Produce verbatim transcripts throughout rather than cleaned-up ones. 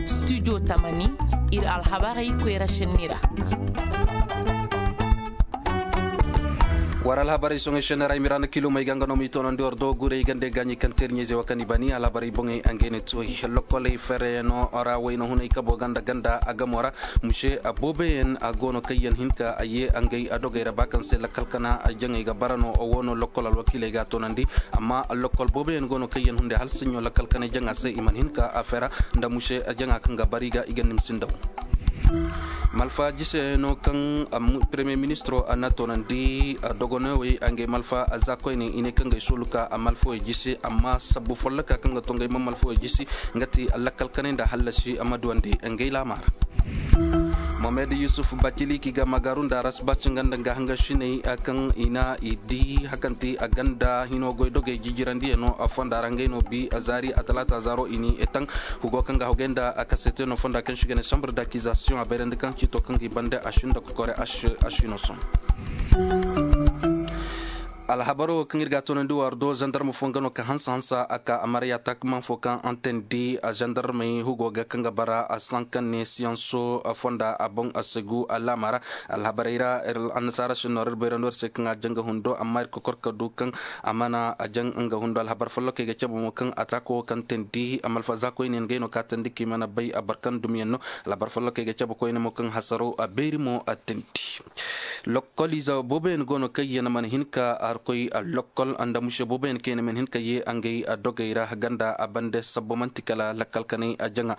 Studio tamani, ir alhabarey koyra senni ra. War alhabarey soŋey senni ra i miraana kilomey ga nga no m'i toonandi war do gurey gande gaaɲi kaŋ teeriɲey ze wa kaŋ i bani alhabarey boŋey a ngey ne tooy lokkoley fereyano ra wayna hunay kabo ganda ganda a gamo ra. Muse booboyaŋ a go no kaŋ yaŋ hin ka a ye a ngey a dogey ra ba kaŋ se lakkal kana jaŋey ga bara no wo no lokkol alwakiiley ga a toonandi. Amma lokkol booboyaŋ go no kaŋ yaŋ hunday hala saɲɲo lakkal kanay jaŋa se i mana hin ka a fera nda muse jaŋa kaŋ ga bara i ga i ga nimsi ndaw. Malfa jise no kaŋ premier ministro a na toonandi dogonowey a ngey malfa za koyne i ne kaŋ ga ay soolu ka a malfawey jisi amma sabbu folloka kaŋ ga to ngey ma malfawey jisi nga ti lakkal kanay nda hallasi a ma duwandi ngey laama ra. Mohamed yusuf baciliki ga magaru nda rasbaci nga nda nga hanga sinay kaŋ i na i di hakanti a ganda hino goy dogey jijirandiyano a fonda ra ngey no bi a zaari a talaata zaaro i ni etan. Hugo kaŋ ga hogey nda a kasete no fonda kaŋ si ga ne sambre dakizasiyoŋ a bayrandi kaŋ cito kaŋ ga i bande a sinda kokore a sino son. Alhabaro kaŋ ir ga a toonandi war do zandarma fo nga no ka hansa hansa a ka amarya taakaman fo kaŋ antandi zandarmey hugo ga kaŋ ga bara a sankan ne siyanso fonda a boŋ a segu alaama ra. Alhabarey ra annasaara si noor ir bayrandi war se kaŋ a jaŋ ga hundo amma ir kokor ka du kaŋ a mana a jaŋ nga hundo alhabar follokey ga cabe mo kaŋ a taako wo kaŋ tandi malfaza koyne yaŋ gay no ka tandi kaŋ i mana bay a barkan dumiyaŋ no. Alhabar follokey ga cabe koyne mo kaŋ hasaro a beeri mo a tandi. Lokkoliize booboyaŋ go no kaŋ yaŋ mana hin ka harkoy lokkol nda muse booboyaŋ kaŋ yaŋ mana hin ka ye ngey dogey ra ganda a bande sabbo man'ti kala lakkal kanay a jaŋa.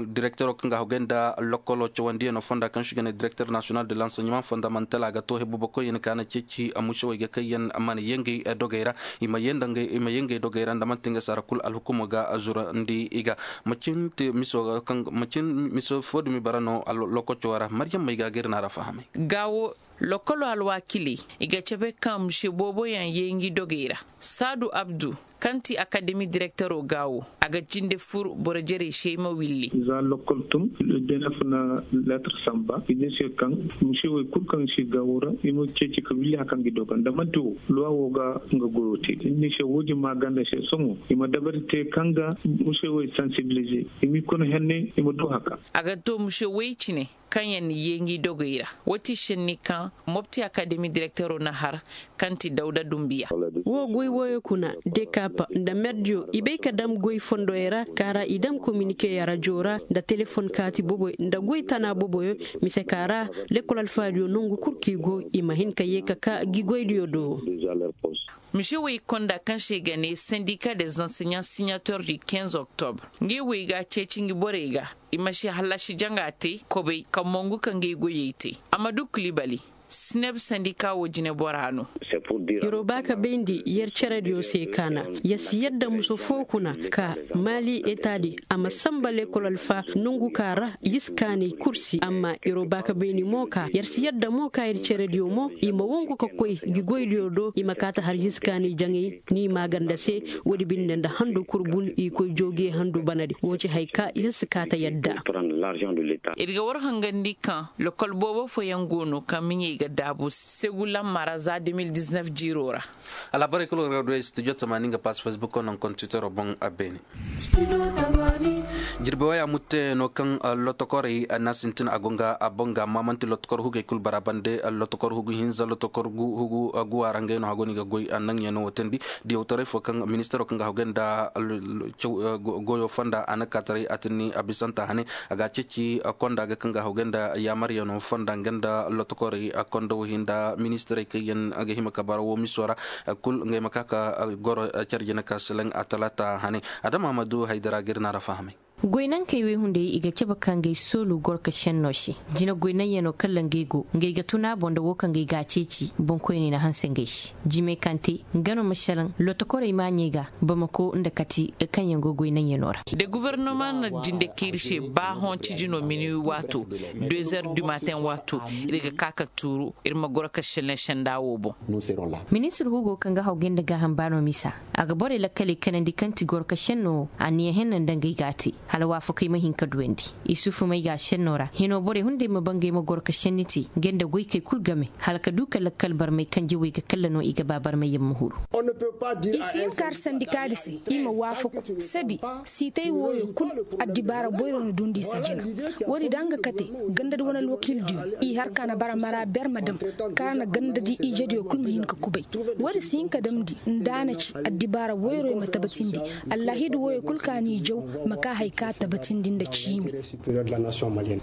Direktero kaŋ ga hogey nda lokkolo cawandiyano fonda kaŋ si ga ne direkter nasiyonal de lanseɲement fondamantal a ga to hebubakoyyaŋ ka na ceeci musewey ga kaŋ yaŋ mana ye ngey dogey ra. I ma ye ngey dogey ra nda man'ti nga saara kul alhukumo ga zurandi i ga. Macin miso fo dumi bara no lokoco ra maryammey ga ga ir na ra fahamay. Ga wo lokolo alwaakiley i ga cabe kaŋ muse booboyaŋ yee ngi dogey ra. Saadu abdu kaŋ ti akademi direktero ga wo a ga jinde fur boro jerey se ay ma willi. Za lokol tun, denef na letter samba i ne se kaŋ muse wey kul kaŋ si ga wo ra i ma ceeci ka willi hari kaŋ gi doga nda man'ti wo luwa wo ga nga goyo te i ne se wo-din ma ganda se sohõ i ma dabari te kaŋ ga muse wey sansibilize i m'i kono henne i ma du haka. A ga to muse wey cine kaŋ yaŋ na yee ngi dogey ra. Wo ti senni kaŋ mopti akademi direktero na har kaŋ ti dawda dumbiya. Wo goy wooyo kuna dekapa nda merdiyo i bay ka dam goy fondoyey ra ka ra i dam kominike rajo ra nda telefon kaati boboy nda goy tana boboyo. Mise ka ra lekkol alfaadiyo nongu kul kaŋ i go i ma hin ka yee ka ka gi goydiyo do. Mise wey konda kaŋ se ga ne sendika de zanseɲan siɲator di kinze oktobre ngey wey ga a ceeci ngi borey ga i ma si hallasi jaŋa te kobay ka mongu ka ngey goyey te. Amadu kulibali sineb sendika wo jinebora no. Yer wo ba ka bayndi yer cerediyo se ka na yer si yadda muso foo kuna ka maali etaadi a ma sanba lekkol alfa nongu ka ra yer si kaanay kursi amma yer wo ba ka bayndi mo ka yer si yadda mo ka yer cerediyo mo i ma wangu ka koy gi goydiyo do i ma kaati har yer si kaanay jaŋay ni maaganda se. Woodi binde nda handu kul bun i koy joogiye handu banadi wo ci hay ka yer si kaata yadda. Ir ga war hangandi kaŋ lokol boobo fooyaŋ go no kaŋ miɲey ga daabu segu lamma ra za de mil diznef jiiro ra. Alhabarey kulu ga du ay studio tamaani nga pass facebook naŋ kontitero boŋ a beene. Jirbi waya mutte no kaŋ lotokorey na sintin a go nga a boŋ ga amma manti lotokor hugey kulu bara bande lotokor hugu hinza lotokor hugu guwa ra ngey no hago ni ga goy naŋ yaŋ no wo teendi. Diyawtaray fo kaŋ ministaro kaŋ ga hogey nda goyo fonda a na kaataray a tinni a bisanta hane a ga a ceeci konda ga kaŋ ga hogey nda yaamaryaŋo fonda nga nda lotokorey konda wo hinda ministarey kaŋ yaŋ ga hima ka bara wo miso ra kul ngey ma ka ka goro care jina ka silaŋ a talaata hane. Adama ma du haydara ga ir na ra fahamay. Goynankey wey hunday i ga cabe ka ngey soolu gorka senno se. Jina goynaŋyaŋo kala ngey go ngey ga tun a boŋ nda wo kaŋ ngey ga a ceeci boŋkoyney na hanse ngey se. Jimey kaŋ te nga no ma salaŋ lotokorey maaɲey ga bamako nda kati kaŋ yaŋ go goynaŋyaŋo ra. Da gofornoma na jinde ka ir se ba hõ cijino mini waato deux heures du matin waato ir ga ka ka tuuru ir ma goro ka sene senda wo boŋ. Ministir hugo kaŋ ga hawgay nda gaaham baano misa a ga borey lakkaley kanandi kaŋ ti goro ka senno anniya henna nda ngey ga a te. Hala waafakey ma hin ka duyandi. Isufu may ga a senno ra hino borey hunday ma bangey ma goro ka senni te, nga nda goykey kul game hala ka du ka lakkal barmey kanje wey ga kalla no i ga ba barmey yaŋ ma huru. I si hin ka har sandikaadi se i ma waafaku sabi siitay wooyo kul. Addibaara boyro na dundi i se jina. Woodi da nga kate gandadi wane alwakiildiyo i har ka na bara mara ber ma dam ka na gandadi ijediyo kul ma hin ka kubay. Woodi si hin ka damndi nda a na ci addibaara woyroyo ma tabatindi. Allahidu woyoo kul ka n'i jaw ma ka hay ka tabatindi nda ciimi.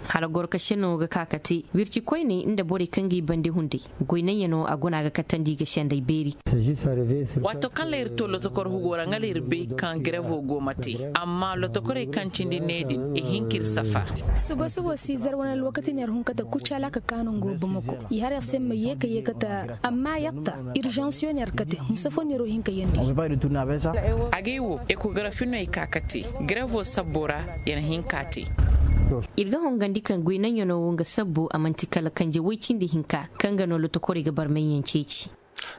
Hala goro ka senno ga ka ka te wirci koyney nda borey kaŋ g'i bande hunday. Goy naŋyanoo a guna ga katandi ga senday beeri. Waato kaŋ la ir to lotokor hugo ra ŋala ir bay kaŋ grevoo go ma te. Amma lotokorey kaŋ cindi ne din i hin k'ir safar. Suba suba si zar wane alwakati ne ir hun kate kucala ka kaanu ngo bamako i har ir se ma yee ka yee kate. Amma yatta irzansiyoo ne ir kate. Musafoo ne ir wo hin ka yeendi. Agay wo ekografi no ay ka kate. Grevoo sabboo ra ya na hin k'a te. Ir ga hongandi kaŋ goy naŋyanoo wo nga sabbu a man'ti kala kanje woy cindi hinka kaŋ ga no lotokorey ga barmayyaŋ ceeci.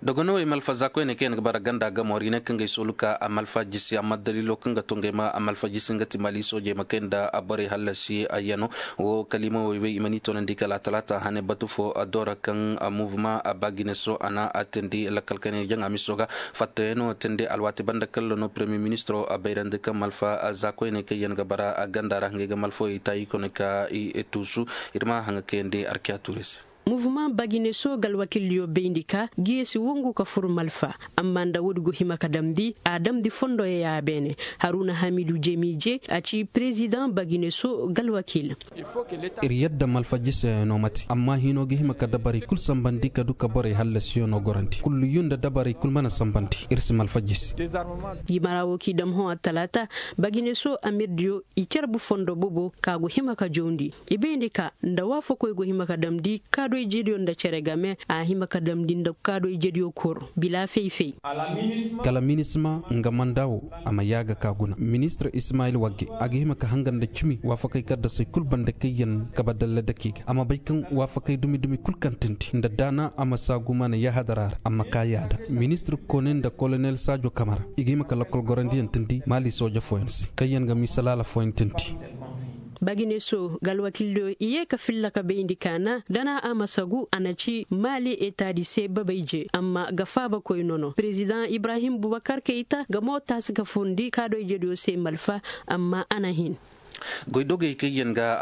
Dogonowey malfa za koyney kaŋ yaŋ ga bara ganda gamo ra i ne kaŋ ga ay soolu ka a malfa jisi amma daliilo kaŋ ga to ngey ma a malfa jisi nga ti mali soojey ma kay nda a borey hallasi a yano. Wo kaliimawey wey i mana i toonandi kala a talaata hane batu fo a doora kaŋ a muvuma a baagineso a na a teendi lakkal kaŋ yaŋ jaŋa miso ga fattayanoo teendi alwaati banda kalla no paremiyer ministiroo a bayrandi kaŋ malfa za koyney kaŋ yaŋ ga bara a ganda ra ngey ga malfawey taayi kone ka i tuusu. Ir ma haŋa kayandi arkiya tuure se. Muvuma bagineso galwakildiyo bayndi ka geesi wongu ka fur malfa. Amma nda woodi go hima ka damndi a damndi fondoyo ya beene. Haruna hamidu jemiije a ci perezidaŋ bagineso galwakil. Ir yadda malfa jise no mate amma hino ga hima ka dabarey kul sambandi ka du ka borey hallasiyo no gorandi kullu yu nda dabarey kul mana sambandi ir si malfa jise. Jimara wo k'i dam hõ attalaata bagineso amirdiyo i carbu fondo bobo ka go hima ka jawndi. I bayndi ka nda waafakoy go hima ka damndi kaadoy jediyo nda cere game a hima ka damndi nda kaadoy jediyo kor bila fay-fay. Kala minisma nga manda wo a ma yaaga ka guna ministir ismayil wagge a ga hima ka hangan nda cimi waafakey kaddasey kul banda kaŋ yaŋ kaba dalla dakey ga a ma bay kaŋ waafakey dumi-dumi kul kaŋ tindi nda daana a ma saagumana yahadara ra a ma ka yaada. Ministir kone nda kolonel saajo kamara i ga hima ka lakkol gorandiyaŋ tindi maali sooja fooyaŋ se kaŋ yaŋ ga miisalaala fooyaŋ tindi. Bagineso galwakildiyo i ye ka filla ka bayndi kaana dana a ma sagu a na ci maali etaadi se babay je amma ga faabakoy nono perezidaŋ ibrahim bubakar kayta ga mo taasi ka furndi kaadoy jediyo se malfa. Amma a na hin. Goydogey kaŋ yaŋ ga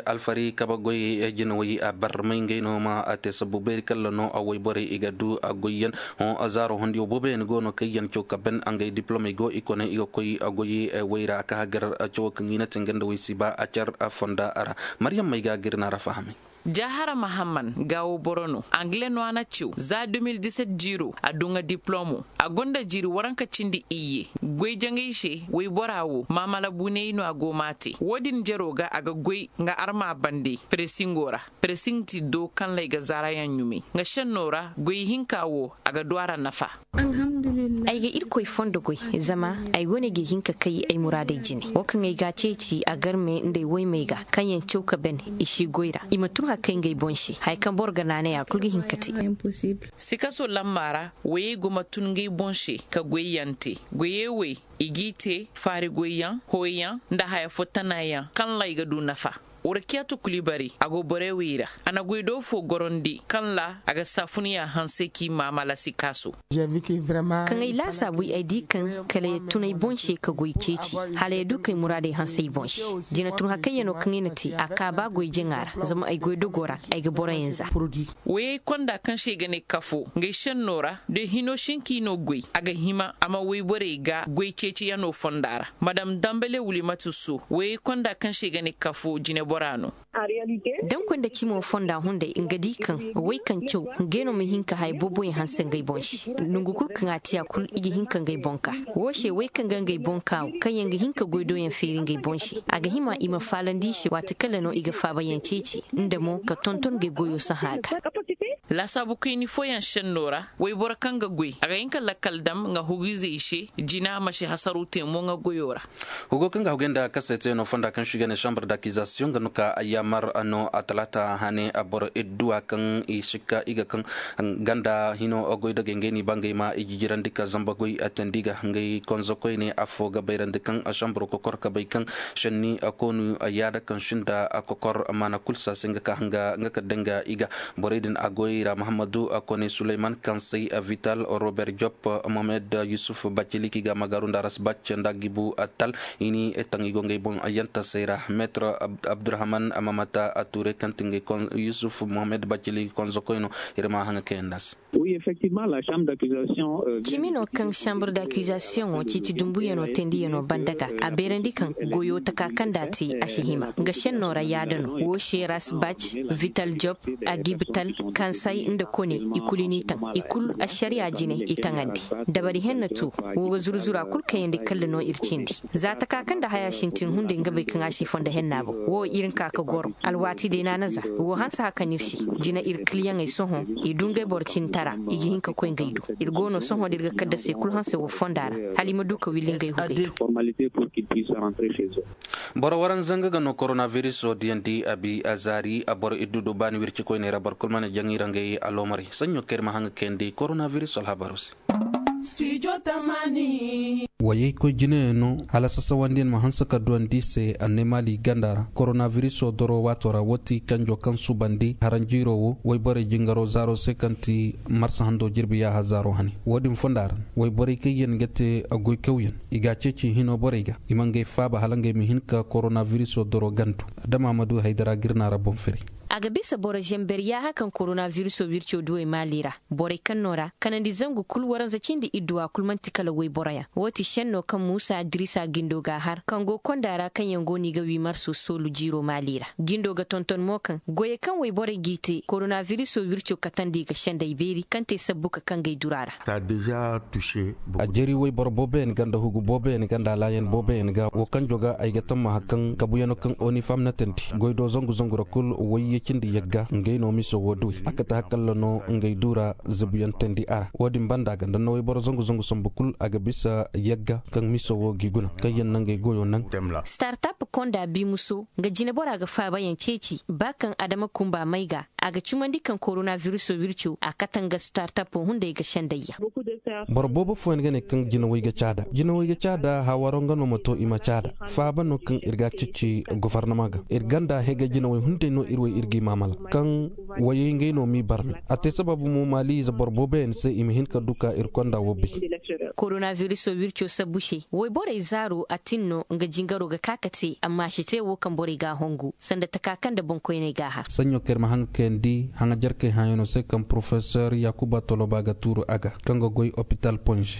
alfari kabagoy jinawey a barmay ngey no ma a te sabbu beeri kalla no a woyborey i ga du a goyyaŋ. Hõ zaaro hondiyo booboyaŋ go no kaŋ yaŋ caw ka ban a ngey diplomey go i kone i ga koy a goy way ra a ka hagar cawo kaŋ i na te nga nda way si ba a car fonda ra. Maryam may ga a gir na ra fahamay. Jahara mahamman gaawo boro no angle no a na cew za deux mille dix-sept jiiro a duŋa diplomo. A gonda jiiri waranka cindi iyye goy jaŋay se waybora wo maamala buney no a go m'a te wo-din jero ga a ga goy nga arma bande. Presingo ra presing ti do kaŋ lay ga zaarayaŋ ɲumay nga šenno ra goy hinka wo a ga du a ra nafa. Ay ga irkoy fondo goy zama ay wane ga hin ka kay ay muraadey jine wo kaŋ ay ga a ceeci a garme nda ay woymey ga kaŋ yaŋ caw ka ben i si goy ra i ma tun hakay ngey boŋ se haya kaŋ boro ga naanay a kul ga hin ka te. Sikaso lamma ra woyey go ma tun ngey boŋ se ka goyyaŋ te goyey wey i g'i te faari goyyaŋ hooyyaŋ nda haya fo tanayaŋ kaŋ ra i ga du nafa. Warkiyatu kulibari a go borey wey ra a na goydoo foo gorandi kaŋ ra a ga saafunuyaa hansey k'i maamala sikaaso. Kaŋ ay laasaabu ay di kaŋ kala ya tun ay boŋ se ka goy ceeci hala ya du kay muraadey hanse ay boŋ se. Jina tun hakayyanoo kaŋ ay na te a kaa ba goy jaŋa ra zama ay goydogoo ra ay ga boroyaŋ za. Woyey konda kaŋ se i ga ne kafo ngey šennoo ra de hinoo sinkii no goy a ga hima a ma woyborey ga goy ceeciyanoo fonda ra. Madam dambale wulimatu so woyey konda kaŋ se i ga ne kafo jineboraa no. Dankoy nda cimoo fonda hunday nga di kaŋ wey kaŋ caw ngey no ma hin ka haya booboyaŋ hanse ngey boŋ se. Nongu kul kaŋ a te a kul i ga hin ka ngey boŋ kaa woo se wey kaŋ ga ngey boŋ kaa wo kaŋ yaŋ ga hin ka goydooyaŋ feeri ngey boŋ se a ga hima i ma faalandi i se waati kala no i ga faabayaŋ ceeci nda mo ka tonton ngey goyoo sahã ga. Laasaabu kayni fooyaŋ šenno ra, wayboro kaŋ ga goy a ga hin ka lakkal dam nga hugu-izey se. Jina ma si hasaru te mo nga goyo ra. Hugo kaŋ ga hugay nda kaseetayano fonda kaŋ se i ga ne sambar dakizasiyoŋ ga no ka yaamar no a talaata hane a boro idduwa kaŋ i sikka i ga kaŋ ganda hino goydogey ngey n'i ba ngey ma i jijirandi ka zamba goy teendi ga ngey konzokoyne affo ga bayrandi kaŋ sambar kokor ka bay kaŋ šenni koonu yaada kaŋ sinda kokor maana kul se a se nga ka hanga nga ka danga i ga. Borey din a goy ra muhammadu kone suleyman kaŋ say vital robert jop mohamed yusuf baciliki ga magaaru nda rasbac nda gibu tal i ni taŋ i go ngey boŋ yantasey ra metre abdurahman mamata ture kaŋ ti ngey yusuf mohamed baciliki konzokoy no. Ir ma haŋa kayandi a se. Cimi no kaŋ chambre d'accusation wo ciiti dumbuyano teendiyanoo banda ga a beerandi kaŋ goyo taka kaŋ nda a te a si hima nga šenno ra yaada no wo se rasbac vital job agib tal kansay nda kone i kul i n'i taŋ i kul ašariya jine i taŋandi. Dabari henna tu wo ga zuru-zuru a kul kayandi kalla no ir cindi. Za taka kaŋ nda haya sintin hunday nga bay kaŋ a si fondo henna boŋ wo ir nka ka goro alwaati day naana za wo hanse haka no ir se. Jina ir kiliyaŋey sohõ i du ngey boro cintara i ga hin ka koy ngey du. Ir go no sohõ da ir ga kaddasey kul hanse wo fonda ra hala i ma du ka willi ngey hugey. Boro waranza nga ga no koronabiriso diyandi a bi a zaari a boro iddu du baani wircikoyney ra boro kul mana jaŋ i ra ngey aloomarey saɲɲo kaŋ ir ma haŋ ga kayandi koronabiriso alhabaroo se. Wayey koy jinayaŋ no hala sasawandiyaŋ ma hanse ka duwandi i se anneemaali i ganda ra koronabiriso doro waato ra wo ti kanjo kaŋ subandi haranjiiroo wo wayborey jingaroo zaaroo se kaŋ ti marsa handoo jirbi yaaha zaaroo hane. Wo-din fonda ra wayborey kaŋ yaŋ ga te goykawyaŋ i ga a ceeci hinoo borey ga i ma ngey faaba hala ngey ma hin ka koronabiriso doro gandu. Adama ma du haydara ga ir naara boŋ firi. A ga bisa boro zamber yaaha kaŋ koronabiriso wirco duwey maali ra. Borey kaŋ no ra kanandi zangu kul waranza cindi idduwa kul man'ti kala wayboroyaŋ wo ti šenno kaŋ muusa dirisa gindo ga a har kaŋ go konda ra kaŋ yaŋ go no i ga wii marso soolu jiiro maali ra. Gindo ga tonton mo kaŋ goyey kaŋ wayborey g'i te koronabiriso wirco katandi i ga sendey beeri kaŋ te sabbu ka kaŋ gay dura ra. A jeri wayboro booboyaŋ ga nda hugu booboyaŋ ga nda alaayan booboyaŋ ga wo kaŋ joga ay ga tammaha kaŋ kabuyano kaŋ onifam na tandi goy do zangu zangu ra kul wayye cindi yagga ngey no miso wo duwey a kate hakalla no ngey dura zabuyaŋ tandi a ra wo-din banda ga nda no wayboro zangu zangu sambu kul a ga bisa yagga kaŋ miso wo g'i guna kaŋ yaŋ na ngey goyo naŋ. Startap konda bimuso nga jinebora ga faabayaŋ ceeci ba kaŋ adama kumba may ga a ga cumandi kaŋ koronabiriso wirco a kate nga startapo hunday ga sendayyaŋ. Boro boobo fooyaŋ ga ne kaŋ jinawey ga caada jinawey ga caada hawaro nga no ma to i ma caada faaba no kaŋ ir ga a ceeci gofornama ga ir ganda hega jinawey hunday no ir wey ir g'i maamala kaŋ wayey ngey no m'i barme a te sababu mo maaliize boro booboyaŋ se i ma hin ka du ka ir konda wo bay. Koronabiriso wirco sabbu se woyborey zaaro a tin no nga jingaro ga ka ka te amma a si te wo kaŋ borey g'a hongu sanda taka kaŋ nda boŋkoyney g'a har. Saɲɲo kaŋ ir ma haŋ ga kayandi haŋajarkey hãyanoo se kaŋ porofesor yaakuba toloba ga tuuru a ga kaŋ ga goy opital ponze.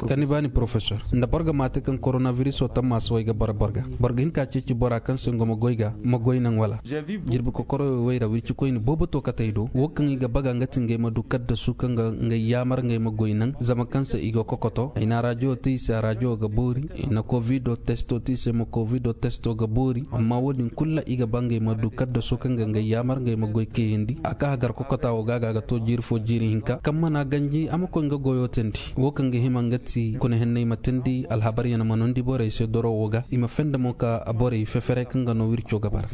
Kani baani porofesor nda boro ga maate kaŋ koronabiriso tammaasa way ga bara boro ga boro ga hin ka ceeci bora kaŋ se ngo ma goy ga ma goy naŋ wala? Jirbi kokoroyo way ra wircikoyni boobo to katey do wo kaŋ i ga baga nga ti ngey ma du kaddasu kaŋ ga ngey yaamar ngey ma goy naŋ zama kaŋ se i go kokoto ay na arajo te i se arajo ga boori i na kovido testo te i se ma kovido testo ga boori amma wo-din kul ra i ga ba ngey ma du kaddaso kaŋ ga ngey yaamar ngey ma goy kayandi a ka hagar kokota wo ga a ga a ga to jiiri fo jiiri hinka kaŋ mana ganji a ma koy nga goyo teendi wo kaŋ ga hima nga ti kuna henney ma teendi alhabaryaŋ ma noondi borey se doro wo ga i ma fenda mo ka borey feferey kaŋ ga no wirco ga bara.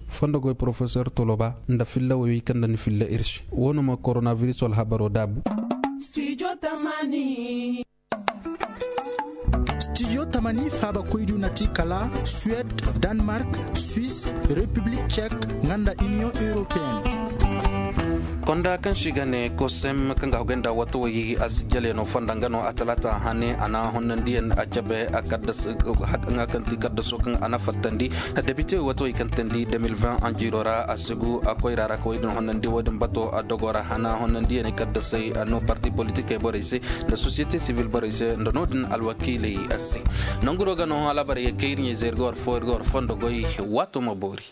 Fondo goy porofesor toloba nda filla woy kaŋ nda ni filla ir se wo no ma koronabiriso alhabaro daabu. Stijo tamani faaba koydu na ti kala suwed, danmark, swis, repiblik cek, nga nda iniyoŋ europeen. Konda kaŋ se i ga ne kosem kaŋ ga hogay nda wato way assijalyaŋo fonda nga no a talaata hane a na honnandiyaŋ a cabe a kaddas nga kaŋ ti kaddaso kaŋ a na fattandi. Debite wato way kaŋ teendi deux mille vingt anjiiro ra a sigu a koyra ra ka way din honnandi wo- din bato a dogo ra a na honnandiyaŋ kaddasey no parti politikey borey se nda sosiyete sivil borey se nda no- din alwakiiley se. Nanguro ga no alhabarey ga kay ir ɲayze ir ga war fo ir ga war fondo goy. Waato ma boori.